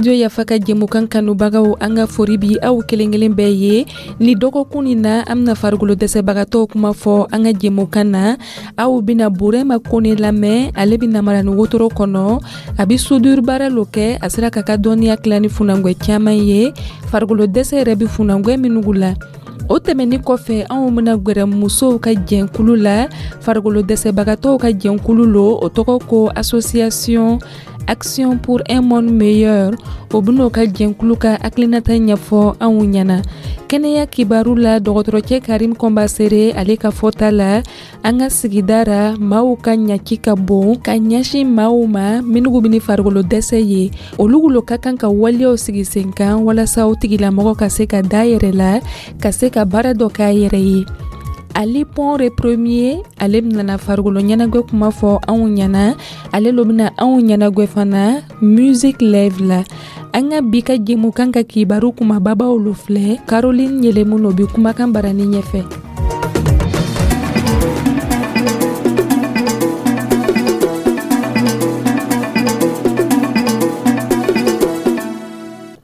Studio Yafa ka jɛmukan kanubagaw, an ka fori bi aw kelen kelen bɛɛ ye. Ni dɔgɔkun nin na, an bɛna farikolo dɛsɛbagatɔw kuma fɔ an ka jɛmukan na. Aw bɛna Burema Kone lamɛn. Ale bɛ namara ni wotoro kɔnɔ, a bɛ soudure baara lo kɛ. A sera k'a ka dɔnniya tila ni funangwɛ caman ye, farikolo dɛsɛ yɛrɛ bɛ funangwɛ minnu la. O tɛmɛni kɔfɛ, anw bɛna gwɛrɛ musow ka jɛnkulu la. Farikolo dɛsɛbagatɔw ka jɛnkulu lo, o tɔgɔ ko Association Action pour un monde meilleur. O ben'o ka jɛnkulu ka hakilinata ɲɛfɔ anw ɲɛna. Kɛnɛya kibaru la, dɔgɔtɔrɔcɛ Karim Kɔnbasere, ale ka fɔta la, an ka sigida ra, maaw ka ɲaci ka bon ka ɲɛsin maaw ma minnu bɛ ni farikolo dɛsɛ ye. Olu lo ka kan ka waleyaw sigi sen kan walasa o tigilamɔgɔ ka se ka da yɛrɛ la, ka se ka baara dɔ k'a yɛrɛ ye. Ali Pɔnre Premier, ale bɛna farikolo ɲɛnagwɛ kuma fɔ anw ɲɛna. Ale lo bɛna anw ɲɛnagwɛ fana musique live la. An ka bi ka jɛmukan ka kibaru kumababaw lo filɛ. Caroline Yelemu no bi kumakan barani ɲɛfɛ.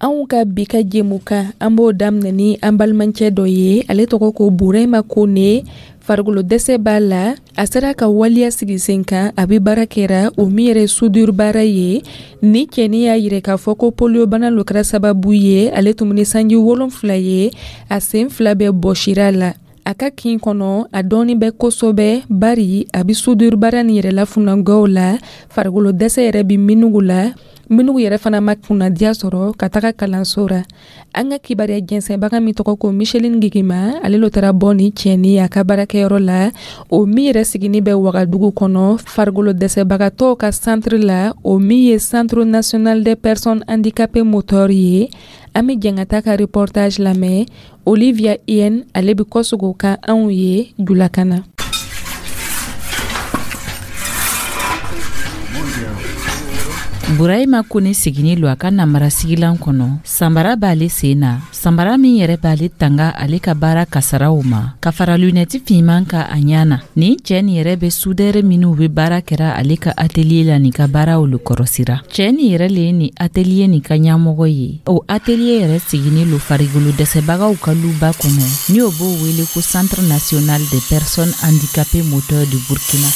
Anw ka bi ka jɛmukan, an b'o daminɛ ni an balimacɛ dɔ ye. Ale tɔgɔ ko Burema Kone. Farikolo dɛsɛ b'a la. A sera ka waleya sigi sen kan, a bɛ baara kɛra o min yɛrɛ soudure baara ye. Ni cɛnin y'a yira k'a fɔ ko poliyobana lo kɛra sababu ye, ale tun ni sanji 7 ye, a sen 2 bɛɛ bɔsira la. A ka kin kɔnɔ, a dɔɔni bɛ kosɛbɛ, bari a bɛ soudure baara nin yɛrɛ la funangɛw la, farikolo dɛsɛ yɛrɛ bɛ minnu la, minnu yɛrɛ fana ma kunnadiya sɔrɔ ka taga kalanso ra. An ka kibaruya jɛnsɛnbaga min tɔgɔ ko Micheline Gigima, ale lo taara bɔ ni cɛnin a ka baarakɛyɔrɔ la, o min yɛrɛ sigini bɛ Wagadugu kɔnɔ, farikolo dɛsɛbagatɔw ka centre la, o min ye Centre national des personnes handicapées moteurs ye. An bɛ jɛn ka taa ka reportage lamɛn. Olivia Yen, ale bɛ kɔsogo kan anw ye julakan na. Burahima Kone sigini lo a ka namara sigilan kɔnɔ. Sanbara b'ale sen na, sanbara min yɛrɛ b'ale tanga ale ka baara kasaraw ma, ka fara lunɛti finman ka a ɲa na. Nin cɛɛ nin yɛrɛ bɛ sudɛrɛ minw be baara kɛra ale ka atelier la nin ka baaraw lo kɔrɔsira. Cɛɛ nin yɛrɛ le ye nin atelier nin ka ɲamɔgɔ ye. O atelier yɛrɛ sigini lo farigolo dɛsɛbagaw ka luba kɔnɔ, ni o b'o wele ko Centre national des personnes handicapées moteurs du Burkina.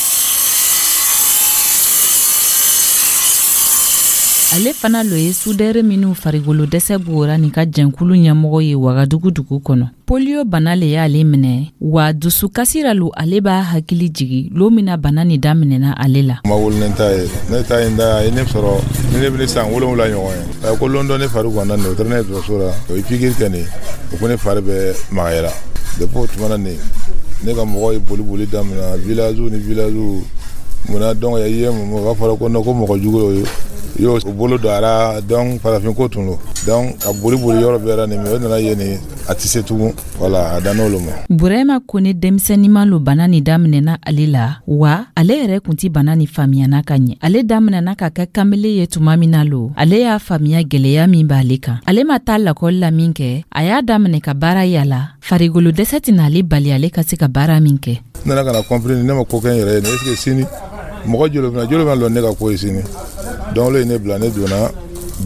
Ale fana lo ye sudɛrɛ minw farigolo dɛsɛ b'o nin ka jɛnkulu ɲɛmɔgɔ ye Wagadugu dugu kɔnɔ. Polio bana le y'ale minɛ, wa dusukasi ra lo ale b'a hakili jigi lon min na bana nin daminɛna ale la. Ma wolo ne ta ye, ne ta ye da a ye ne sɔrɔ ni ne bɛ san 7 ɲɔgɔn ye. Ko lon dɔ ne fari ganna nin, o taara ne ye dɔgɔtɔrɔso la, o ye pikiri kɛ nin, o ko ne fari bɛ magayara. Depuis o tuma na nin, ne ka mɔgɔw ye boli boli daminɛ village ni village. Munna donc i ye mun, o b'a fɔra ko non, ko mɔgɔ jugu ye y'o bolo don a la. Donc farafin ko tun don, donc ka boli boli yɔrɔ bɛɛ la nin, o nana ye nin, a tɛ se tugun. Wala a dan n'olu ma. Burema Kone denmisɛnninma lo bana nin daminɛna ale la, wa ale yɛrɛ kun ti bana nin faamuyana ka ɲɛ. Ale daminɛna ka kɛ kamele ye tuma min na lo, ale y'a faamuya gwɛlɛya min b'ale kan. Ale ma taa lakɔli la min kɛ, a y'a daminɛ ka baara yala. Farigolo dɛsɛ tɛna ale bali ale ka se ka baara min kɛ. N nana ka na comprendre, ne ma ko kɛ n yɛrɛ ye nin. Est ce que sini mɔgɔ joli bɛna, joli bɛna lɔ ne ka ko ye sini? Donc olu ye ne bila, ne donna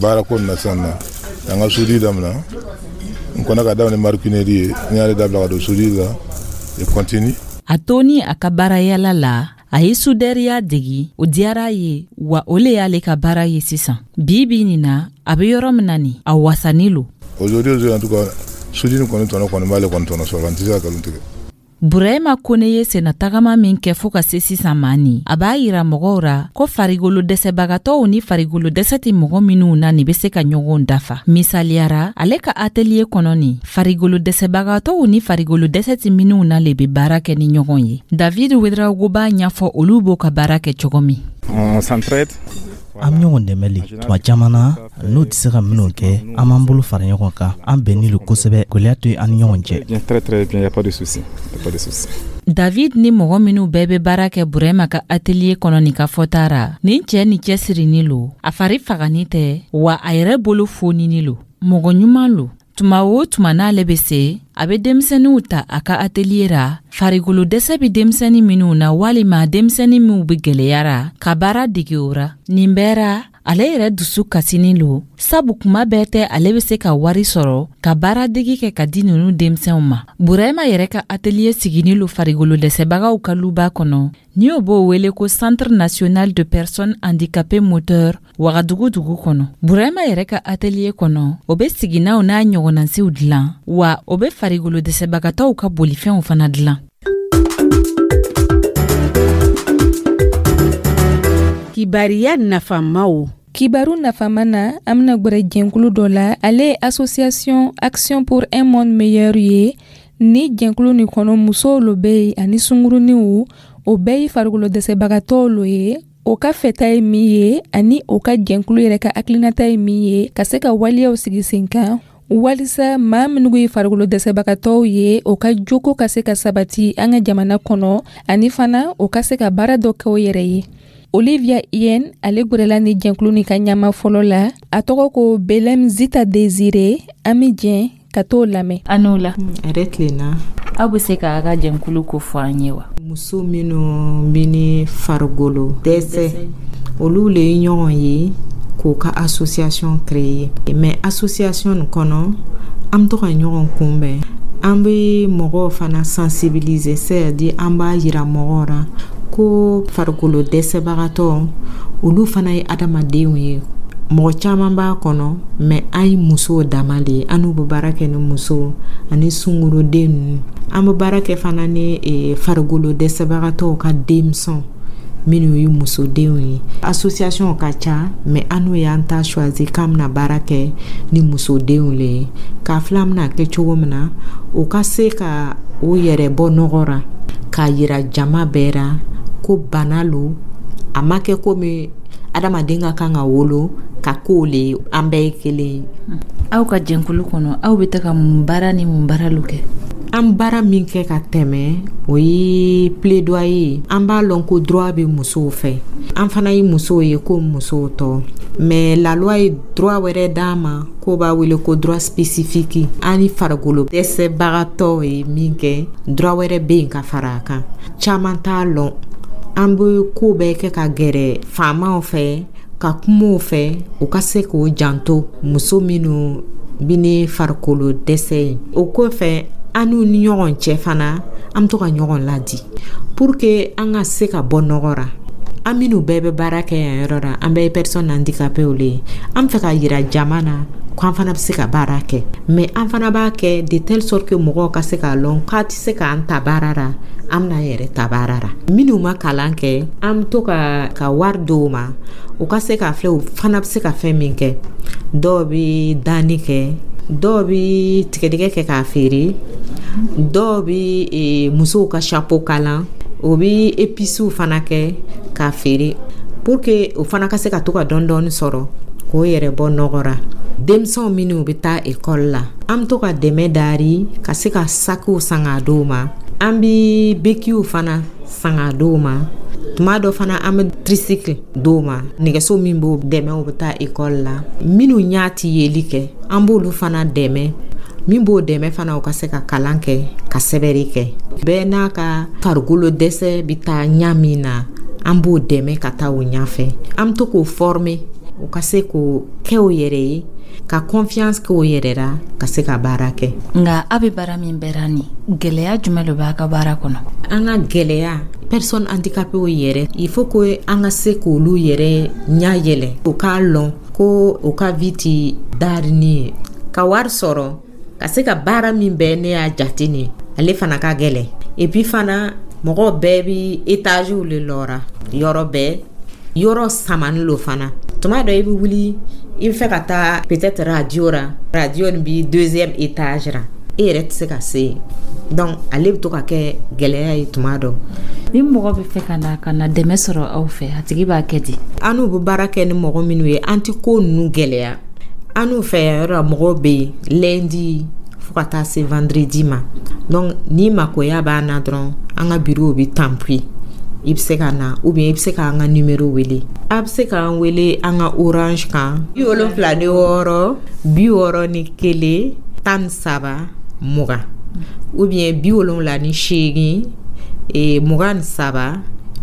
baara ko nin na sisan na, an ka soudure daminɛ. N kɔnna ka daminɛ maroquinerie ye, n y'ale dabila ka don soudure la et continue. A toni a ka baarayala la, a ye sudɛriya degi, o diyara a ye, wa o le y'ale ka baara ye sisan. Bi bi nin na, a be yɔrɔ min na nin, a wasani lo. Aujourd'hui, en tout cas, soudure kɔni tɔnɔ kɔni b'ale kɔni tɔnɔ sɔrɔ, n tɛ se ka nkalon tigɛ. Burahima Kone ye sennatagama min kɛ fɔɔ ka se sisan ma nin, a b'a yira mɔgɔw ra ko farigolo dɛsɛbagatɔw ni farigolo dɛsɛ tɛ mɔgɔ minw na nin be se ka ɲɔgɔn dafa. Misaliyara, ale ka atelier kɔnɔ nin, farigolo dɛsɛbagatɔw ni farigolo dɛsɛ tɛ minw na le be baara kɛ ni ɲɔgɔn ye. David Ouedraogo b'a ɲɛfɔ olu b'o ka baara kɛ cogo min. On s'entraide. An bɛ ɲɔgɔn dɛmɛ le tuma caman na. N'o tɛ se ka minnu kɛ, an b'an bolo fara ɲɔgɔn kan. An bɛnni lo kosɛbɛ, gɛlɛya to an ni ɲɔgɔn cɛ. Bien, très très bien, y a pas de souci, y a pas de souci. David ni mɔgɔ minw bɛɛ bɛ baara kɛ Burema ka atelier kɔnɔ nin ka fɔta ra, nin cɛɛ ni cɛsirini lo, a fari fagani tɛ, wa a yɛrɛ bolo fonini lo, mɔgɔ ɲuman lo. Tuma o tuma n'ale bɛ se, a bɛ denmisɛnninw ta a ka atelier ra, farikolo dɛsɛ bɛ denmisɛnnin minnu na walima denmisɛnnin minw bɛ gwɛlɛya ra, ka baara dege o ra. Nin bɛɛ ra, Ale yɛrɛ dusu kasinin lo, sabu kuma bɛɛ tɛ ale bɛ se ka wari sɔrɔ ka baaradegi kɛ ka di nunu denmisɛnw ma. Burahima yɛrɛ ka atelier siginin lo farigolo dɛsɛbagaw ka luba kɔnɔ, ni o b'o wele ko Centre national de personnes handicapées moteur, Wagadugu dugu kɔnɔ. Burahima yɛrɛ ka atelier kɔnɔ, o bɛ siginaw n'a ɲɔgɔnnasiw dilan, wa o bɛ farigolo dɛsɛbagatɔw ka bolifɛnw fana dilan. Kibariya nafamaw. Kibaru nafama na, an bena gwɛrɛ jɛnkulu dɔ la. Ale ye Association Action pour un monde meilleur ye. Ni jɛnkulu nin kɔnɔ, musow lo be yen ani sunguruniw. O bɛɛ ye farikolo dɛsɛbagatɔw lo ye. O ka fɛta ye min ye ani o ka jɛnkulu yɛrɛ ka hakilinata ye min ye, ka se ka waleyaw sigi sen kan walisa maa minnu ye farikolo dɛsɛbagatɔw ye, o ka joko ka se ka sabati an ka jamana kɔnɔ, ani fana o ka se ka baara dɔ kɛ o yɛrɛ ye. Olivia Yen, ale gwɛrɛla ni jɛnkulu nin ka ɲama fɔlɔ la. A tɔgɔ ko Belem Zita Desire. An be jɛn ka t'o lamɛn. A n'o la. Yɛrɛ tilenna. Aw be se k'a ka jɛnkulu ko fɔ an ye wa? Muso minnu bɛ ni farikolo dɛsɛ, olu le ye ɲɔgɔn ye k'o ka association créer. Mais association nin kɔnɔ, an bɛ to ka ɲɔgɔn kunbɛn, an bɛ mɔgɔw fana sensibiliser, c'est à dire an b'a yira mɔgɔw la ko farikolo dɛsɛbagatɔ, olu fana ye adamadenw ye. Mɔgɔ caman b'a kɔnɔ, mais an ye musow dama de ye. An n'u bɛ baara kɛ ni musow ani sungurunden ninnu. An bɛ baara kɛ fana ni farikolo dɛsɛbagatɔw ka denmisɛnw minnu ye musodenw ye. Association ka ca, mais an n'u y'an ta choisi k'an bɛna baara kɛ ni musodenw le ye, k'a filɛ an bɛna kɛ cogo min na o ka se ka o yɛrɛ bɔ nɔgɔ ra, k'a yira jama bɛɛ ra ko bana lo, a ma kɛ komi adamaden ka kan ka wolo ka k'o le ye, an bɛɛ ye kelen ye. Aw ka jɛnkulu kɔnɔ, aw bɛ taga mun baara ni mun baara lu kɛ? An baara min kɛ ka tɛmɛ, o ye plaidoyer ye. An b'a lɔn ko droit bɛ musow fɛ, an fana ye musow ye ko musow tɔ, mais la loi ye droit wɛrɛ d'an ma k'o b'a wele ko droit spécifique. An ni farikolo dɛsɛbagatɔw ye min kɛ, droit wɛrɛ bɛ yen ka fara a kan, caman t'a lɔn. An bɛ ko bɛɛ kɛ ka gɛrɛ faamaw fɛ, ka kumaw fɛ, u ka se k'o janto muso minnu bɛ ni farikolo dɛsɛ ye. O kɔfɛ, an n'u ni ɲɔgɔn cɛ fana, an bɛ to ka ɲɔgɔn ladi pour que an ka se ka bɔ nɔgɔ ra. An minnu bɛɛ bɛ baara kɛ yan yɔrɔ la, an bɛɛ ye personne handicapée le ye. An bɛ fɛ ka yira jama na ko an fana bɛ se ka baara kɛ, mais an fana b'a kɛ de telle sorte que mɔgɔw ka se k'a lɔn k'a tɛ se k'an ta baara la, an bɛna an yɛrɛ ta baara la. Minnu ma kalan kɛ, an bɛ to ka wari d'o ma, u ka se k'a filɛ u fana bɛ se ka fɛn min kɛ. Dɔw bɛ danni kɛ, dɔw bɛ tigɛdɛgɛ kɛ k'a feere, dɔw bɛ musow ka chapeau kalan, o bɛ épices fana kɛ k'a feere, pour que o fana ka se ka to ka dɔɔni dɔɔni sɔrɔ k'o yɛrɛ bɔ nɔgɔ ra. Denmisɛnw minnu bɛ taa ekɔli la, an bɛ to ka dɛmɛ dari ka se ka sakiw san k'a d'u ma, an bɛ bekiw fana san k'a d'u ma. Tuma dɔ fana, an bɛ tricycle d'u ma, nɛgɛso min b'o dɛmɛ u bɛ taa ekɔli la. Minnu ɲɛ ti yeli kɛ, an b'olu fana dɛmɛ, min b'o dɛmɛ fana u ka se ka kalan kɛ, ka sɛbɛnni kɛ. Bɛɛ n'a ka farikolo dɛsɛ bɛ taa ɲa min na, an b'o dɛmɛ ka taa o ɲɛfɛ. An bɛ to k'o former, u ka se k'o kɛ o yɛrɛ ye, ka confiance k'o yɛrɛ la, ka se ka baara kɛ. Nka aw bɛ baara min bɛra nin, gɛlɛya jumɛn de b'a ka baara kɔnɔ? An ka gɛlɛya, personne handicapée yɛrɛ, il faut que an ka se k'olu yɛrɛ ɲɛ yɛlɛ, u k'a lɔn ko u ka vie ti darini ye. Ka wari sɔrɔ ka se ka baara min bɛɛ ne y'a jate nin, ale fana ka gɛlɛn. Et puis fana, mɔgɔw bɛɛ bi étagew le lɔra yɔrɔ bɛɛ, yɔrɔ samani lo fana. Tuma dɔ i bɛ wuli, i bɛ fɛ ka taa peut-être radio ra, radio nin bi deuxième étage ra, e yɛrɛ tɛ se ka se yen. Donc ale bɛ to ka kɛ gɛlɛya ye tuma dɔ. Ni mɔgɔ bɛ fɛ ka na dɛmɛ sɔrɔ aw fɛ, a tigi b'a kɛ di? An n'u bɛ baara kɛ ni mɔgɔ minnu ye, an tɛ ko ninnu gɛlɛya. An n'u fɛ yan yɔrɔ la, mɔgɔw bɛ yen lundi fo ka taa se vendredi ma. Donc ni makoya b'an na dɔrɔn, an ka bureau bɛ Tanpui, i bɛ se ka na, ou bien i bɛ se k'an ka numéro wele. A bɛ se k'an wele an ka Orange kan, 76 61 13 20, ou bien 78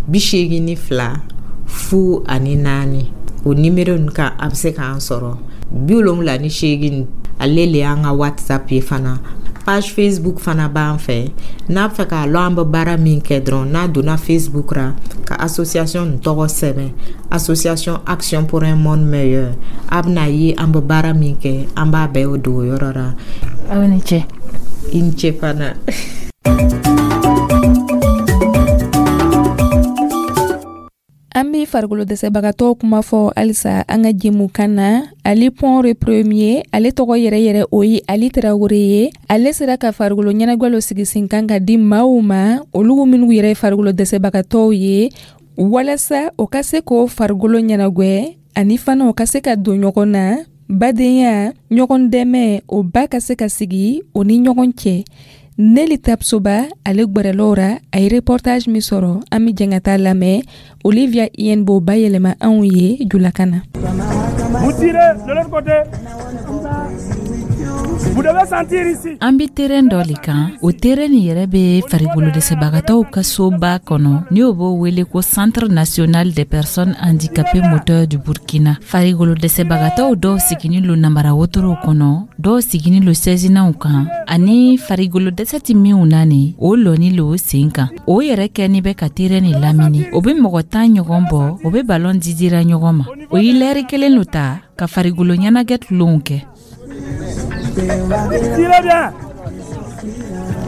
23 82 04. O nimero nin kan, a bɛ se k'an sɔrɔ. 78, ale le y'an ka WhatsApp ye. Fana, page Facebook fana b'an fɛ. N'a fɛ k'a lɔn an bɛ baara min kɛ dɔrɔn, n'a donna Facebook ra ka association nin tɔgɔ sɛbɛn, Association Action pour un monde meilleur, a bɛna ye an bɛ baara min kɛ. An b'a bɛɛ o don o yɔrɔ ra. Aw ni ce. I ni ce fana. An bɛ farikolo dɛsɛbagatɔw kuma fɔ halisa an ka jɛmukan na. Ali Pɔnre Premier, ale tɔgɔ yɛrɛ yɛrɛ o ye Ali Tarawele ye. Ale sera ka farikolo ɲɛnajɛ lo sigi sen kan ka di maaw ma, olu minnu yɛrɛ ye farikolo dɛsɛbagatɔw ye, walasa o ka se k'o farikolo ɲɛnagwɛ, ani fana o ka se ka don ɲɔgɔn na, badenya, ɲɔgɔn dɛmɛ, o ba ka se ka sigi o ni ɲɔgɔn cɛ. Neli Tapsoba, ale gwɛrɛl'o ra. A ye reportage min sɔrɔ, an bɛ jɛn ka taa lamɛn. Olivia Yen b'o bayɛlɛma anw ye julakan na. Vous tirez de l'autre côté. Vous devez sentir ici. An be terrain dɔ le kan. O terrain nin yɛrɛ be farikolo dɛsɛbagatɔw ka soba kɔnɔ, ni o b'o wele ko Centre national des personnes handicapées moteurs du Burkina. Farikolo dɛsɛbagatɔw dɔw siginin lo namara wotorow kɔnɔ, dɔw siginin lo sɛzinaw kan, ani farikolo dɛsɛ ti minw na nin, o lɔni lo sen kan. O yɛrɛ kɛni bɛ ka terrain nin lamini. O be mɔgɔ 10 ɲɔgɔn bɔ. O be balɔn didira ɲɔgɔn ma. O ye lɛri kelen lo ta ka farikolo ɲɛnagɛ tulonw kɛ. Tirez bien.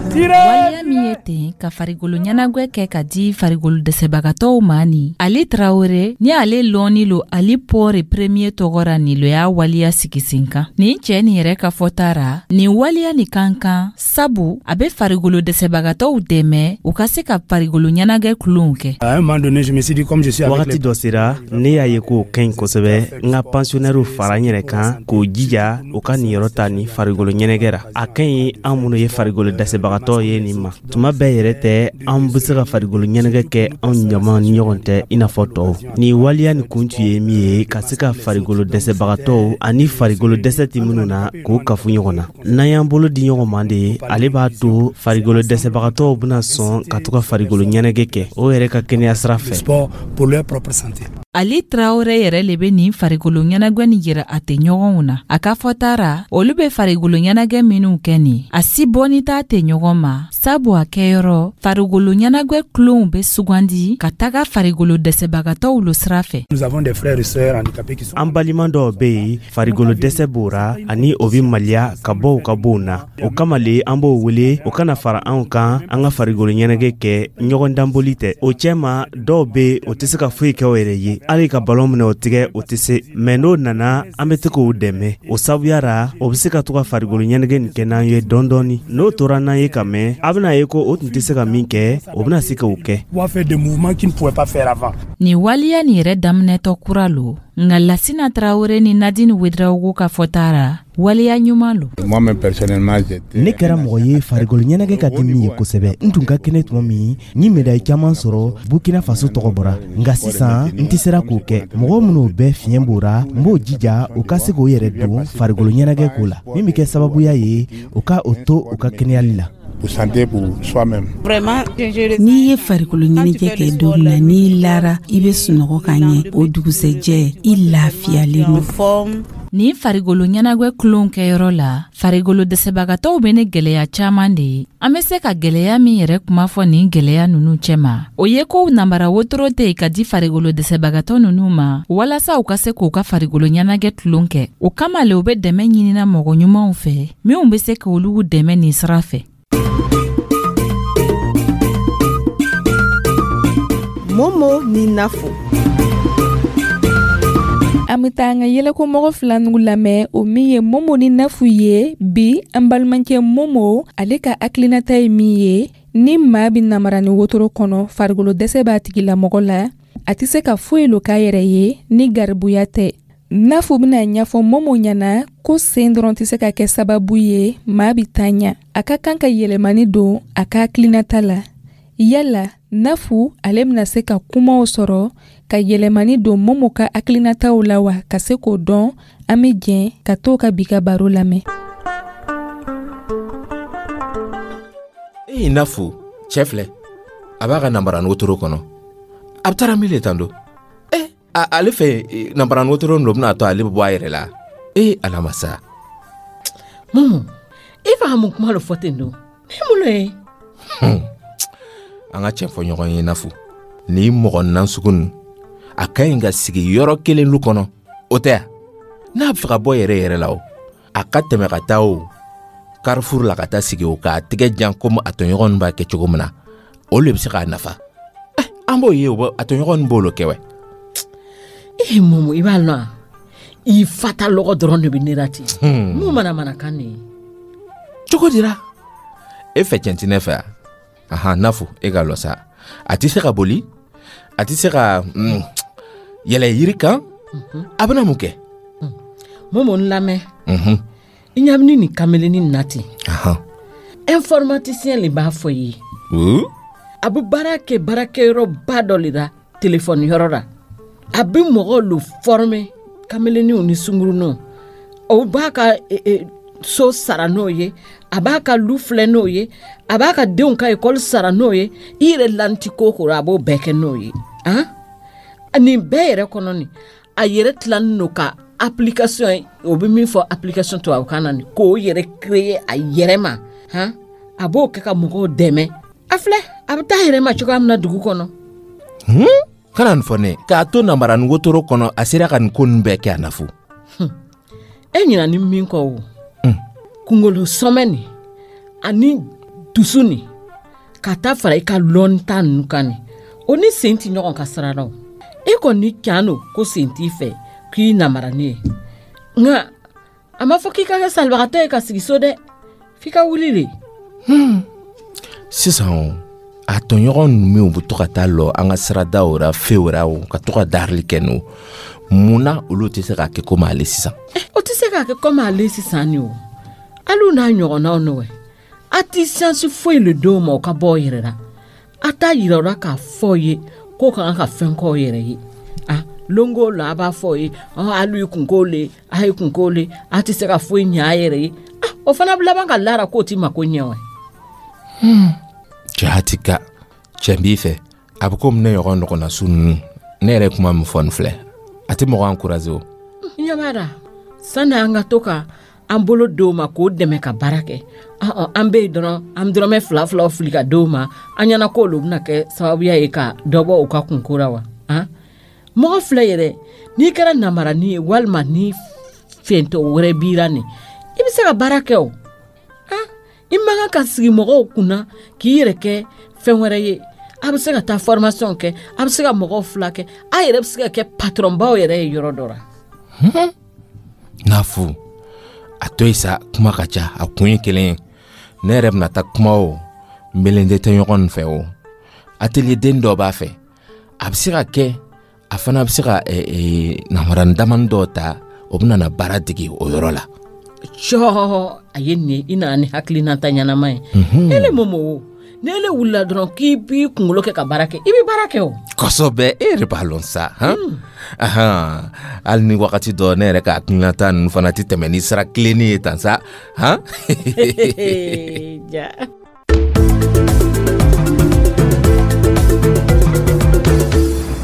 Tirez. Waleya min ye ten ka farikolo ɲɛnagwɛ kɛ ka di farikolo dɛsɛbagatɔw ma ni, Ali Tarawele ni ale lɔnni lo Ali Pɔre Premier tɔgɔ ra, nin lo y'a waleya sigi sen kan. Nin cɛɛ nin yɛrɛ ka fɔta ra, nin waleya nin kan kan, sabu a be farikolo dɛsɛbagatɔw dɛmɛ u ka se ka farikolo ɲɛnagɛ tulonw kɛ. À un moment donné, je me suis dit, comme je suis avec Wagati les dɔ sera, ne y'a ye k'o ka ɲi kosɛbɛ. N ka pensionnairew fara n yɛrɛ kan k'o jija u ka niyɔrɔ ta ni farikolo ɲɛnagɛ ra. A ka ɲi an minnu ye farikolo dɛsɛbagatɔ ye nin ma. Tuma bɛɛ yɛrɛ tɛ an be se ka farikolo ɲɛnagɛ kɛ anw ɲama ni ɲɔgɔn tɛ i n'a fɔ tɔw. Nin waleya nin kun tun ye min ye, ka se ka farikolo dɛsɛbagatɔw ani farikolo dɛsɛ tɛ minnu na k'o kafu ɲɔgɔn na. N'an y'an bolo di ɲɔgɔn ma de, ale b'a to farikolo dɛsɛbagatɔw bɛna sɔn ka to ka farikolo ɲɛnagɛ kɛ o yɛrɛ ka kɛnɛya sira fɛ. Sport pour leur propre santé. Ali Tarawele yɛrɛ le be nin farikolo ɲɛnagwɛ nin yira a tɛ ɲɔgɔnw na. A ka fɔta ra, olu be farikolo ɲɛnagɛ minw kɛ nin, a si bɔni t'a tɛ ɲɔgɔn ma, sabu a kɛyɔrɔ farikolo ɲɛnagwɛ tulonw be sugandi ka taga farikolo dɛsɛbagatɔw lo sira fɛ. Nous avons des frères et sœurs handicapés qui sont An balima dɔw be yen, farikolo dɛsɛ b'o ra ani o be maliya ka bɔ u ka bonw na. O kama le an b'o wele o kana fara anw kan, an ka farikolo ɲɛnagɛ kɛ. Ɲɔgɔn danboli tɛ o cɛma. Dɔw be o tɛ se ka foyi kɛ o yɛrɛ ye, hali ka balon minɛ o tigɛ, o tɛ se. Mɛ n'o nana, an be se k'o dɛmɛ. O sabuya ra, o be se ka to ka farikolo ɲɛnagɛ nin kɛ n'an ye dɔɔni dɔɔni. N'o tora n'an ye ka mɛn, a bɛna ye ko o tun tɛ se ka min kɛ, o bɛna se k'o kɛ. Pouvoir faire des mouvements qu'ils ne pouvaient pas faire avant. Nin waleya nin yɛrɛ daminɛtɔ kura lo, nka Lasina Tarawele ni Nadine Wedrawogo ka fɔta ra, waleya ɲuman lo. Moi-même, personnellement, j'étais Ne kɛra mɔgɔ ye farikolo ɲɛnagɛ ka di min ye kosɛbɛ. N tun ka kɛnɛ tuma min, n ye médaille caman sɔrɔ, Burkina Faso tɔgɔ bɔra. Nka sisan n tɛ sera k'o kɛ. Mɔgɔ minnu bɛɛ fiɲɛ b'o ra, n b'o jija u ka se k'o yɛrɛ don farikolo ɲɛnagɛ ko la, min bɛ kɛ sababuya ye u ka o to u ka kɛnɛyali la. Pour santé, pour soi-même. N'i ye farikolo ɲɛnajɛ kɛ don min na, n'i lara, i bɛ sunɔgɔ ka ɲɛ. O dugusɛjɛ, i lafiyalen don. Nin farikolo ɲɛnagwɛ tulonw kɛyɔrɔ la, farikolo dɛsɛbagatɔw be ni gwɛlɛya caaman de ye. An be se ka gwɛlɛya min yɛrɛ kuma fɔ nin gwɛlɛya nunu cɛma, o ye ko namara wotoro tɛ yen ka di farikolo dɛsɛbagatɔ nunu ma, walasa u ka se k'u ka farikolo ɲɛnagɛ tulon kɛ. O kama le u be dɛmɛ ɲinina mɔgɔ ɲumanw fɛ minw be se k'olu dɛmɛ nin sira fɛ. Momo ni Nafo. An bɛ taa an ka yɛlɛko fila nugu lamɛn, o min ye Momo ni Nafu ye. Bi, an balimakɛ Momo, ale ka hakilinata ye min ye, ni maa bɛ namara ni wotoro kɔnɔ, farikolo dɛsɛ b'a tigilamɔgɔ la, a tɛ se ka foyi lo k'a yɛrɛ ye ni garibuya tɛ. Nafu bɛna ɲɛfɔ Momo ɲɛna ko sen dɔrɔn tɛ se ka kɛ sababu ye maa bɛ taa ɲɛ, a ka kan ka yɛlɛmani don a ka hakilinata la. Yala Nafu, ale bɛna se ka kumaw sɔrɔ ka yɛlɛmani don Momo ka hakilinataw la wa? Ka se k'o dɔn, an bɛ jɛn ka t'o ka bi ka baro lamɛn. E Nafu, cɛ filɛ, a b'a ka namara wotoro kɔnɔ, a bɛ taara min le tan do. Ale fɛ nanbarani wotoro lo bɛna to ale bɛ bɔ a yɛrɛ la. Ee alamasa. Momo, i fa mun kuma lo fɔ ten don? Ne mun lo ye? An ka cɛn fɔ ɲɔgɔn ye Nafu. Ni mɔgɔ nasugu ninnu, a ka ɲi ka sigi yɔrɔ kelen lu kɔnɔ, o tɛ ya? N'a bɛ fɛ ka bɔ yɛrɛ yɛrɛ la o, a ka tɛmɛ ka taa o Carrefour la ka taa sigi o k'a tɛgɛ jan komi a tɔɲɔgɔn b'a kɛ cogo min na, o le bɛ se k'a nafa. An b'o ye, o a tɔɲɔgɔn b'o kɛ wɛ. Ee Momo, i b'a lɔn wa? I fata lɔgɔ dɔrɔn de bɛ ne la ten. Mun mana mana kan nin ye? Cogo dira? E fɛ tiɲɛ tɛ ne fɛ wa? Ahan, Nafu, e ka lɔ sa. A tɛ se ka boli, a tɛ se ka yɛlɛ yiri kan, a bɛna mun kɛ? Momo, n lamɛn. I ɲa bɛ ni nin kameleni na ten. Informaticien le b'a fɔ i ye. A bɛ baara kɛ baarakɛyɔrɔba dɔ le la, telefɔni yɔrɔ la. A bɛ mɔgɔw lo former, kameleniw ni sunguruninw. O b'a ka so sara n'o ye, a b'a ka lu filɛ n'o ye, a b'a ka denw ka ekɔli sara n'o ye. I yɛrɛ lanti ko ko a b'o bɛɛ kɛ n'o ye. Han, nin bɛɛ yɛrɛ kɔnɔ nin, a yɛrɛ tilannen don ka application ye, o bɛ min fɔ application tubabukan na nin, k'o yɛrɛ créer a yɛrɛ ma. Han, a b'o kɛ ka mɔgɔw dɛmɛ. A filɛ, a bɛ taa yɛrɛ ma cogoya min na dugu kɔnɔ. Kana nin fɔ ne k'a to nanbarani wotoro kɔnɔ, a sera ka nin ko ninnu bɛɛ kɛ a Nafu. E ɲinɛ ni min kɔ o, kunkolo sɔmɛ nin ani dusu nin, ka taa fara i ka lɔnta ninnu kan nin, o ni sen tɛ ɲɔgɔn ka sira la o. E kɔni can don ko sen t'i fɛ k'i namarani ye, nka a ma fɔ k'i ka kɛ salibagatɔ ye ka sigi so dɛ, f'i ka wuli de. Sisan o, a tɔɲɔgɔn ninnu bɛ to ka taa lɔ an ka siradaw ra, few ra o, ka to ka darili kɛ n'o, mun na olu tɛ se k'a kɛ komi ale sisan? O tɛ se k'a kɛ komi ale sisan ni o, hali n'a ɲɔgɔnnaw n'o ye. A tɛ siyansi foyi le d'o ma o ka bɔ o yɛrɛ la. A t'a yira o la k'a fɔ o ye k'o ka kan ka fɛn k'o yɛrɛ ye. A longo la a b'a fɔ o ye, hali i kun k'o le, a ye kun k'o le, a tɛ se ka foyi ɲɛ a yɛrɛ ye. O fana bɛ laban ka lara k'o t'i mako ɲɛ wa. Jati ka cɛ b'i fɛ, a bɛ komi ne ɲɔgɔn ɲɔgɔnna su ninnu, ne yɛrɛ kuma min fɔ nin filɛ, a tɛ mɔgɔ encourager o. Ɲɛ b'a la, sani an ka to ka an bolo d'o ma k'o dɛmɛ ka baara kɛ, an bɛ yen dɔrɔn, an dɔrɔmɛ fila filaw fili ka d'o ma, an ɲɛna k'olu bɛna kɛ sababuya ye ka dɔ bɔ u ka kunko la wa. Mɔgɔ filɛ yɛrɛ, n'i kɛra namarani ye walima ni fɛntɔ wɛrɛ b'i la nin, i bɛ se ka baara kɛ o. I man kan ka sigi mɔgɔw kunna k'i yɛrɛ kɛ fɛn wɛrɛ ye. A bɛ se ka taa formation kɛ, a bɛ se ka mɔgɔw fila kɛ, a yɛrɛ bɛ se ka kɛ patronbaw yɛrɛ ye yɔrɔ dɔ la. Nafu, a to yen sa, kuma ka ca, a kun ye kelen ye. Ne yɛrɛ bɛna taa kuma o, n belen tɛ ɲɔgɔn fɛ o. Atelier den dɔ b'a fɛ, a bɛ se ka kɛ a fana bɛ se ka namarani damani dɔw ta, o bɛna na baara dege o yɔrɔ la. Cɔ, a ye nin ye, i nana ni hakilinata ɲɛnama ye. E le Momo o, ni ele wulila dɔrɔn k'i b'i kunkolo kɛ ka baara kɛ, i bɛ baara kɛ o. Kosɛbɛ, e yɛrɛ b'a lɔn sa, han? Ahan, hali ni wagati dɔ ne yɛrɛ ka hakilinata ninnu fana tɛ tɛmɛ ni sira tilennen ye tan sa, han? Ja.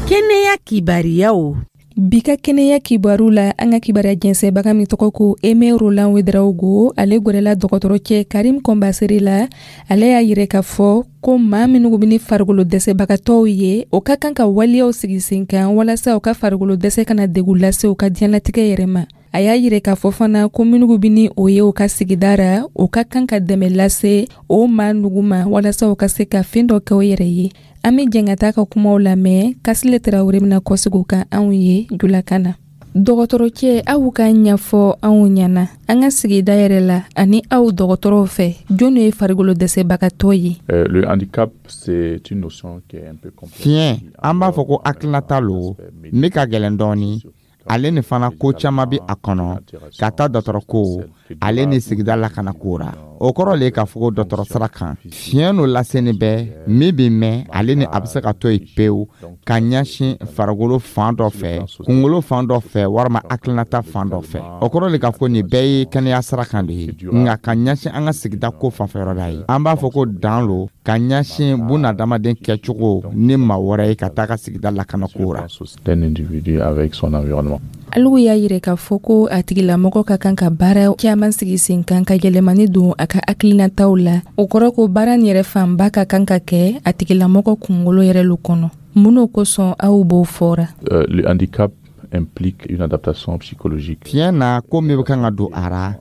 Kɛnɛya kibariyaw. Bi ka kɛnɛya kibaru la, an ka kibaruya jɛnsɛnbaga min tɔgɔ ko Aimé Roland Ouedraogo, ale gwɛrɛla dɔgɔtɔrɔcɛ Karim Kɔnbasere la. Ale y'a yira k'a fɔ ko maa minnu bɛ ni farikolo dɛsɛbagatɔw ye, o ka kan ka waleyaw sigi sen kan walasa u ka farikolo dɛsɛ kana degun lase u ka diɲɛlatigɛ yɛrɛ ma. A y'a yira k'a fɔ fana ko minnu bɛ ni o ye u ka sigida ra, o ka kan ka dɛmɛ lase o maa nugu ma walasa u ka se ka fɛn dɔ kɛ u yɛrɛ ye. An bɛ jɛn ka taa ka kumaw lamɛn. Kasile Tarawele bɛna kɔsegin o kan anw ye julakan na. Dɔgɔtɔrɔcɛ, aw ka ɲɛfɔ anw ɲɛna an ka sigida yɛrɛ la ani aw dɔgɔtɔrɔw fɛ, jɔn ye farikolo dɛsɛbagatɔ ye? Le handicap, c'est une notion qui est un peu complexe. Fiɲɛ, an b'a fɔ ko hakilinata lo min ka gɛlɛn dɔɔni. Ale ni fana ko caman bɛ a kɔnɔ, ka taa dɔgɔtɔrɔ ko ale ni sigida lakana ko ra. O kɔrɔ le k'a fɔ ko dɔgɔtɔrɔ sira kan, fiɲɛ no laseni bɛ min bɛ mɛn, ale ni a bɛ se ka to yen pewu ka ɲɛsin farikolo fan dɔ fɛ, kunkolo fan dɔ fɛ, walima hakilinata fan dɔ fɛ. O kɔrɔ le k'a fɔ nin bɛɛ ye kɛnɛya sira kan de ye. Nka ka ɲɛsin an ka sigida ko fanfɛyɔrɔ la ye, an b'a fɔ ko dan lo ka ɲɛsin bunadamaden kɛcogo ni maa wɛrɛ ye ka taa ka sigida lakanako ra. D'un individu avec son environnement. Alu y'a yira k'a fɔ ko a tigilamɔgɔ ka kan ka baara caman sigi sen kan ka yɛlɛmani don a ka hakilinataw la. O kɔrɔ ko baara nin yɛrɛ fanba ka kan ka kɛ a tigilamɔgɔ kunkolo yɛrɛ lo kɔnɔ. Mun n'o kosɔn aw b'o fɔra? Le handicap implique une adaptation psychologique. Fiɲɛ na, ko min bɛ kan ka don a ra,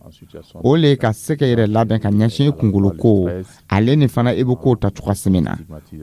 o le ka se ka yɛrɛ labɛn ka ɲɛsin i kunkolo ko, ale ni fana i bɛ kow ta cogoya min na.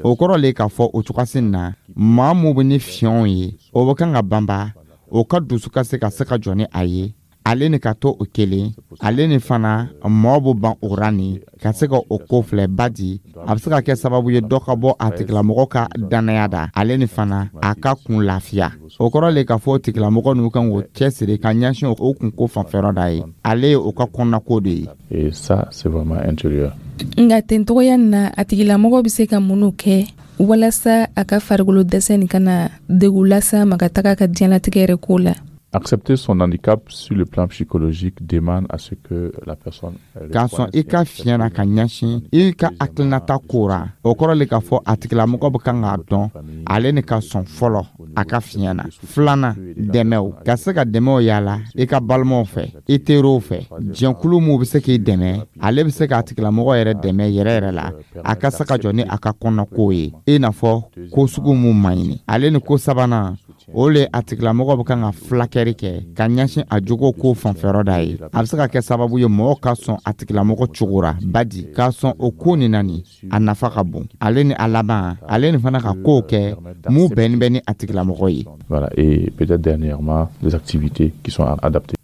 O kɔrɔ le k'a fɔ o cogoya na, maa mun bɛ ni fiɲɛw ye, o bɛ kan ka banba o ka dusu ka se ka se ka jɔ ni a ye, ale ni ka to o kelen, ale ni fana mɔɔ bɛ ban o ra ni ka se ka o ko filɛ badi a bɛ se ka kɛ sababu ye dɔ ka bɔ a tigilamɔgɔ ka dannaya da, ale ni fana a ka kun lafiya. O kɔrɔ le k'a fɔ o tigilamɔgɔ ninnu kan k'o cɛsiri ka ɲɛsin o kunko fanfɛyɔrɔ da ye, ale ye o ka kɔnɔnako de ye. Et ça, c'est vraiment intérieur. Nka tencogoya na, a tigilamɔgɔ bɛ se ka minnu kɛ walasa a ka farikolo dɛsɛ nin kana degun lase a ma ka taga ka diɲɛlatigɛ yɛrɛ ko la? Accepter son handicap sur le plan psychologique demande à ce que la personne K'a sɔn i ka fiɲɛ na ka ɲɛsin i ka hakilinata ko ra, o kɔrɔ le k'a fɔ a tigilamɔgɔ bɛ kan k'a dɔn, ale ni ka sɔn fɔlɔ a ka fiɲɛ na. Filanan, dɛmɛw, ka se ka dɛmɛw yala i ka balimaw fɛ, i teriw fɛ, jɛnkulu minw bɛ se k'i dɛmɛ, ale bɛ se k'a tigilamɔgɔ yɛrɛ dɛmɛ yɛrɛ yɛrɛ la a ka se ka jɔ ni a ka kɔnɔnako ye, i n'a fɔ ko sugu mun man ɲini. Ale ni ko sabanan, o le a tigilamɔgɔ bɛ kan ka fulakɛri kɛ ka ɲɛsin a jogo ko fanfɛyɔrɔ da ye. A bɛ se ka kɛ sababu ye mɔgɔw ka sɔn a tigilamɔgɔ cogo ra, badi k'a sɔn o ko nin na nin, a nafa ka bon. Ale ni a laban, ale ni fana ka kow kɛ mun bɛnni bɛ ni a tigilamɔgɔ ye. Voilà, et peut-être dernièrement, des activités qui sont adaptées.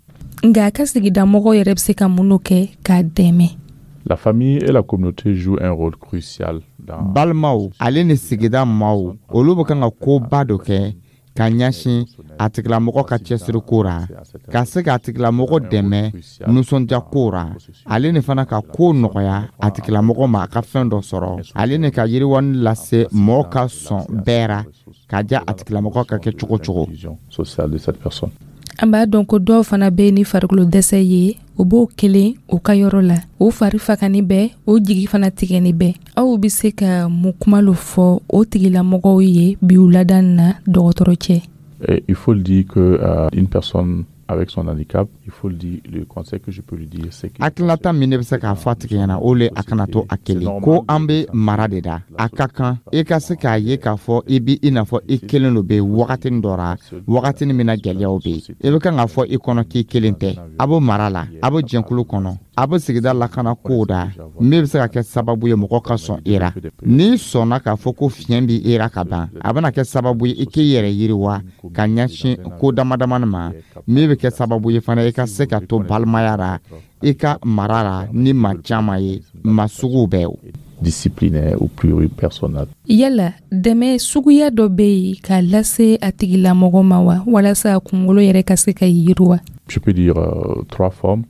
Nka a ka sigidamɔgɔw yɛrɛ bɛ se ka mun kɛ k'a dɛmɛ? La famille et la communauté jouent un rôle crucial dans Balimaw ale ni sigida maaw, olu bɛ kan ka koba dɔ kɛ ka ɲɛsin a tigilamɔgɔ ka cɛsiriko ra, ka se k'a tigilamɔgɔ dɛmɛ nisɔndiya ko ra, ale ni fana ka ko nɔgɔya a tigilamɔgɔ ma a ka fɛn dɔ sɔrɔ, ale ni ka yiriwani lase mɔgɔ ka sɔn bɛɛ ra ka diya a tigilamɔgɔ ka kɛ cogo cogo. Sociale de cette personne. An b'a dɔn ko dɔw fana bɛ ni farikolo dɛsɛ ye, o b'o kelen u ka yɔrɔ la, o fari fagani bɛɛ, o jigi fana tigɛni bɛɛ. Aw bɛ se ka mun kuma lo fɔ o tigilamɔgɔw ye bi wulada na, dɔgɔtɔrɔ cɛ? Et il faut le dire que une personne avec son handicap, il faut le dire, le conseil que je peux lui dire, c'est que Hakilinata min ne bɛ se k'a fɔ a tigi ɲɛna, o le a kana to a kelen ko an bɛ mara de da. A ka kan i ka se k'a ye k'a fɔ i bi i n'a fɔ i kelen lo bɛ wagatinin dɔ ra, wagatinin min na gɛlɛyaw bɛ yen, i bɛ kan k'a fɔ i kɔnɔ k'i kelen tɛ. A bɛ mara la, a bɛ jɛnkulu kɔnɔ, a bɛ sigida lakana kow da min bɛ se ka kɛ sababu ye mɔgɔ ka sɔn i ra. N'i sɔnna k'a fɔ ko fiɲɛ b'i i ra ka ban, a bɛna kɛ sababu ye i k'i yɛrɛ yiriwa ka ɲɛsin ko dama damani ma min bɛ kɛ sababu ye fana i ka se ka to balimaya ra, i ka mara ra ni maa caman ye, maa suguw bɛɛ o. Disciplinaire ou pluripersonnel. Yala dɛmɛ suguya dɔ bɛ yen k'a lase a tigilamɔgɔ ma wa, walasa a kunkolo yɛrɛ ka se ka yiriwa? Je peux dire trois formes.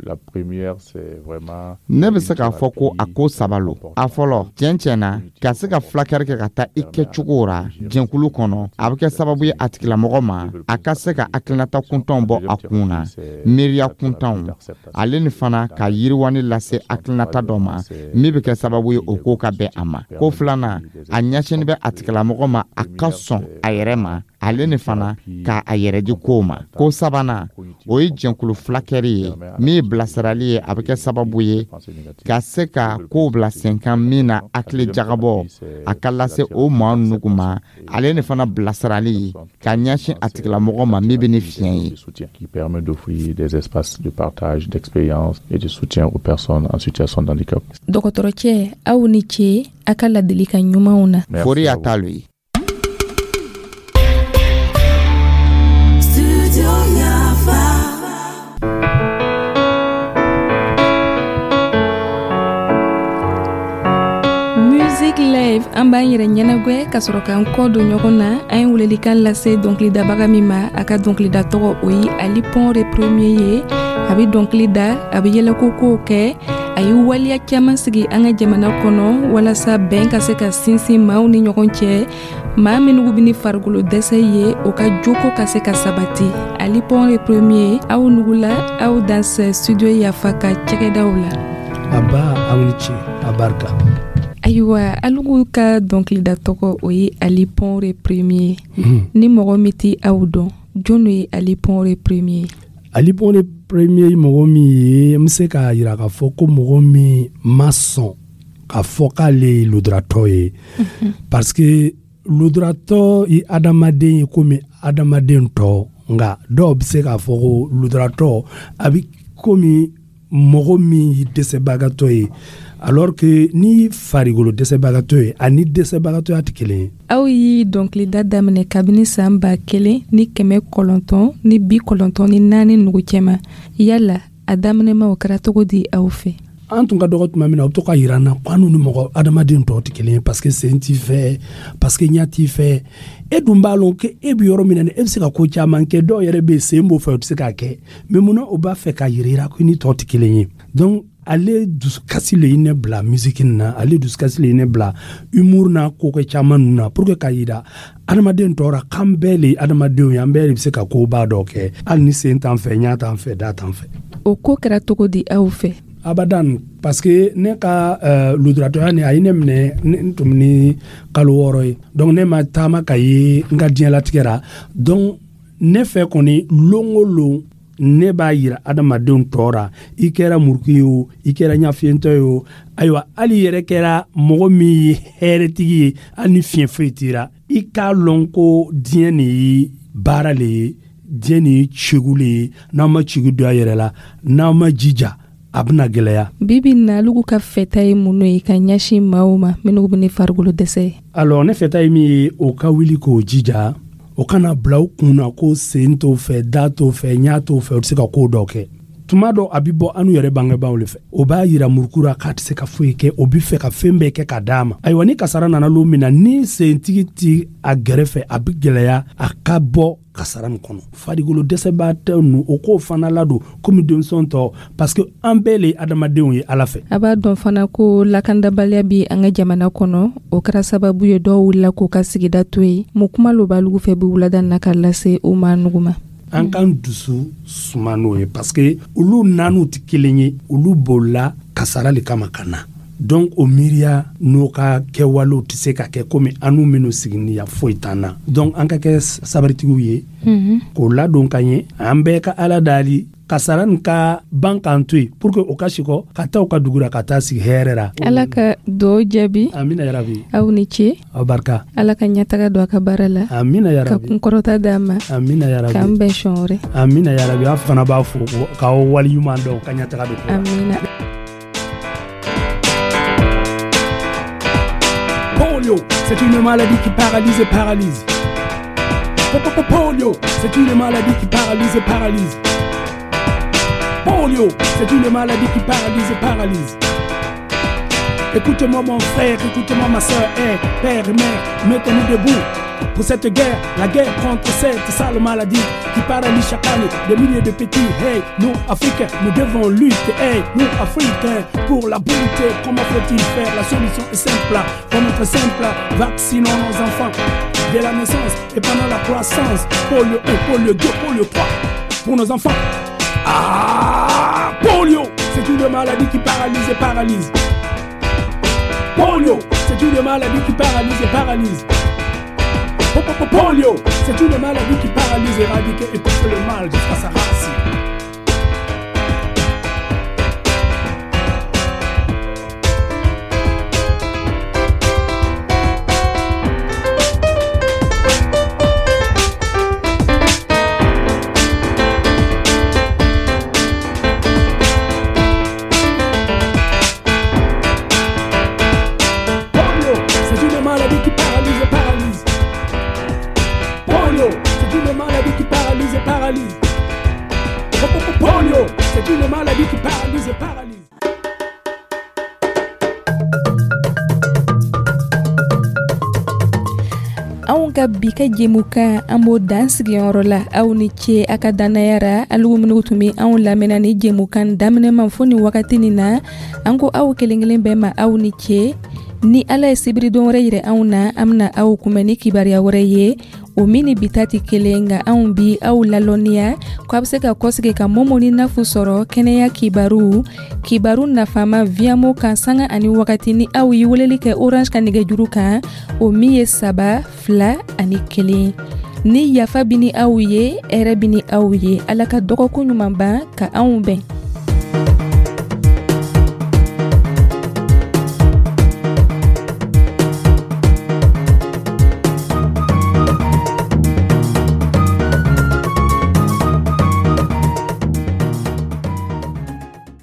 La première, c'est vraiment Ne bɛ se k'a fɔ ko a ko saba lo. A fɔlɔ, tiɲɛ tiɲɛ na, ka se ka fulakɛri kɛ ka taa i kɛcogo ra jɛnkulu kɔnɔ, a bɛ kɛ sababu ye a tigilamɔgɔ ma a ka se ka hakilinata kuntanw bɔ a kun na, miiriya kuntanw, ale ni fana ka yiriwani lase hakilinata dɔ ma min bɛ kɛ sababu ye o ko ka bɛn a ma. Ko filanan, a ɲɛsinni bɛ a tigilamɔgɔ ma a ka sɔn a yɛrɛ ma, ale ni fana k'a a yɛrɛ di kow ma. Ko sabanan, o ye jɛnkulu fulakɛri ye min ye bilasirali ye. A bɛ kɛ sababu ye ka se ka kow bila sen kan min na hakili jagabɔ a ka lase o maa nugu ma, ale ni fana bilasirali ye ka ɲɛsin a tigilamɔgɔ ma min bɛ ni fiɲɛ ye. Qui permet d'offrir des espaces de partage d'expérience et de soutien aux personnes en situation de handicap. Dɔgɔtɔrɔcɛ, aw ni ce a ka ladilikan ɲumanw na. Fori y'a ta lo ye. Studio Yafa. Music Live, an b'an yɛrɛ ɲɛnagwɛ ka sɔrɔ k'an kɔ don ɲɔgɔn na. An ye welelikan lase dɔnkilidabaga min ma, a ka dɔnkilida tɔgɔ o ye Ali Pɔnre Premier ye. A bɛ dɔnkili da, a bɛ yɛlɛko kow kɛ. A A ye waleya caman sigi an ka jamana kɔnɔ walasa bɛn ka se ka sinsin maaw ni ɲɔgɔn cɛ, maa minnu bɛ ni farikolo dɛsɛ ye, o ka joko ka se ka sabati. Ali Pɔnre Premier, aw nugula, aw dansɛ studio Yafa ka cɛgɛdaw la. Aba, aw ni ce, a barika. Ayiwa, alugu ka dɔnkilida tɔgɔ, o ye Ali Pɔnre Premier. Ni mɔgɔ min tɛ aw dɔn, jɔn ye Ali Pɔnre Premier? Ali Pɔnre Premier ye mɔgɔ min ye, n bɛ se k'a yira k'a fɔ ko mɔgɔ min ma sɔn k'a fɔ k'ale ye lujuratɔ ye, parce que lujuratɔ ye adamaden ye komi adamaden tɔ. Nka dɔw bɛ se k'a fɔ ko lujuratɔ a bɛ komi mɔgɔ min ye dɛsɛbagatɔ ye, alors que ni farikolo dɛsɛbagatɔ ye ani dɛsɛbagatɔya tɛ kelen ye. Aw ye dɔnkilida daminɛ kabini san 1994 nugu cɛma. Yala a daminɛma, o kɛra cogo di aw fɛ? An tun ka dɔgɔ tuma min na, u bɛ to ka yira an na ko an ni mɔgɔ adamaden tɔw tɛ kelen ye, parce que sen t'i fɛ, parce que ɲɛ t'i fɛ. E dun b'a lɔn ko e bɛ yɔrɔ min na, e bɛ se ka ko caman kɛ. Dɔw yɛrɛ bɛ yen, sen b'o fɛ, u tɛ se k'a kɛ. Mais munna o b'a fɛ ka yira i la ko i ni tɔw tɛ kelen ye? Donc ale dusukasi le ye ne bila musique nin na, ale dusukasi le ye ne bila humour n'a kokɛ caman ninnu na, pour que ka yira adamaden tɔw ra k'an bɛɛ le ye adamadenw ye, an bɛɛ de bɛ se ka koba dɔ kɛ, hali ni sen t'an fɛ, ɲɛ t'an fɛ, da t'an fɛ. O ko kɛra cogo di aw fɛ? Abadan, parce que ne ka lujuratɔya ni a ye ne minɛ n tun ni kalo 6 ye. Donc ne ma taama ka ye n ka diɲɛlatigɛ ra. Donc ne fɛ kɔni, lon o lon ne b'a yira adamadenw tɔ ra, i kɛra muruku ye o, i kɛra ɲafiyentɔ ye o, ayiwa, hali yɛrɛ kɛra mɔgɔ min ye hɛrɛtigi ye, hali ni fiɲɛ foyi t'i ra, i k'a lɔn ko diɲɛ nin ye baara le ye, diɲɛ nin ye cegu le ye. N'aw ma cegu don a yɛrɛ la, n'aw ma jija, a bɛna gɛlɛya. Bibi na, alugu ka fɛta ye mun ye ka ɲɛsin maaw ma minnu bɛ ni farikolo dɛsɛ ye? Alors ne fɛta ye min ye, o ka wuli k'o jija, o kana bila u kun na ko sen t'o fɛ, da t'o fɛ, ɲɛ t'o fɛ, o tɛ se ka ko dɔ kɛ. Tuma dɔ a bɛ bɔ anw yɛrɛ bangebaaw le fɛ, o b'a yira murukura k'a tɛ se ka foyi kɛ, o bɛ fɛ ka fɛn bɛɛ kɛ ka d'a ma. Ayiwa, ni kasara nana lon min na, ni sentigi ti a gɛrɛfɛ, a bɛ gɛlɛya a ka bɔ kasara nin kɔnɔ. Farikolo dɛsɛbaatɔ ninnu, o k'o fana ladon komi denmisɛn tɔ, parce que an bɛɛ le ye adamadenw ye Ala fɛ. A b'a dɔn fana ko lakandabaliya bi an ka jamana kɔnɔ, o kɛra sababu ye dɔw wulila k'u ka sigida to yen. Mun kuma lo b'alugu fɛ bi wulada na ka lase u ma nugu ma? An k'an dusu suma n'o ye, parce que olu naaniw tɛ kelen ye, olu bolila kasara le kama ka na. Donc o miiriya n'o ka kɛwalew tɛ se ka kɛ komi an n'u minnu sigini yan, foyi t'an na. Donc an ka kɛ sabaritigiw ye k'o ladon ka ɲɛ, an bɛɛ ka Ala dali kasara nin ka ban k'an to yen, pour que o ka sikɔ ka taa u ka dugu la, ka taa sigi hɛrɛ la. Ala ka duwawu jaabi. Amina yarabi. Aw ni ce. Aw barika. Ala ka ɲɛtaga don a ka baara la. Amina yarabi. Ka kunkɔrɔta d'a ma. Amina yarabi. K'an bɛn siɲɛ wɛrɛ. Amina yarabi. Aw fana b'a fo k'aw waleɲuman dɔn, ka ɲɛtaga don. Amina. Polio, c'est une maladie qui paralyse et paralyse. Polio, c'est une maladie qui paralyse et paralyse. Polio, c'est une maladie qui paralyse et paralyse. Écoute-moi mon frère, écoute-moi ma soeur, hey, père et mère, mettons-nous debout pour cette guerre, la guerre contre cette sale maladie qui paralyse chaque année des milliers de petits. Hey, nous Africains, nous devons lutter. Hey, nous Africains, pour la beauté, comment faut-il faire? La solution est simple, vraiment très simple. Vaccinons nos enfants dès la naissance et pendant la croissance. Polio 1, polio 2, polio 3 pour nos enfants. Ah, polio, c'est une maladie qui paralyse et paralyse. Polio, c'est une maladie qui paralyse et paralyse. Polio, c'est une maladie qui paralyse, éradique et étouffe le mal jusqu'à sa racine. Polio, c'est une maladie qui paralyse et paralyse. Polio, c'est une maladie qui paralyse et paralyse. Anw ka bi ka jɛmukan, an b'o dan sigiyɔrɔ la. Aw ni ce a ka dannaya ra. Alu minnu tun bɛ anw lamɛnna ni jɛmukan daminɛ ma fo ni wagati nin na, an ko aw kelen kelen bɛɛ ma, aw ni ce. Ni Ala ye sibiridon wɛrɛ yirɛ anw na, an bena aw kunbɛn ni kibaruya wɛrɛ ye, o min ni bi ta tɛ kelen. Nka anw bi aw lalɔnniya ko a be se ka kɔsigi ka Momo ni Nafu sɔrɔ kɛnɛya kibaru, kibaru nafama Viamo kan, sanga ani wagati, ni aw ye weleli kɛ Orange ka nɛgɛjuru kan, o min ye 3 2 1. Ni yafa bi ni aw ye, hɛrɛ bi ni aw ye. Ala ka dɔgɔkun ɲuman ban ka anw bɛn.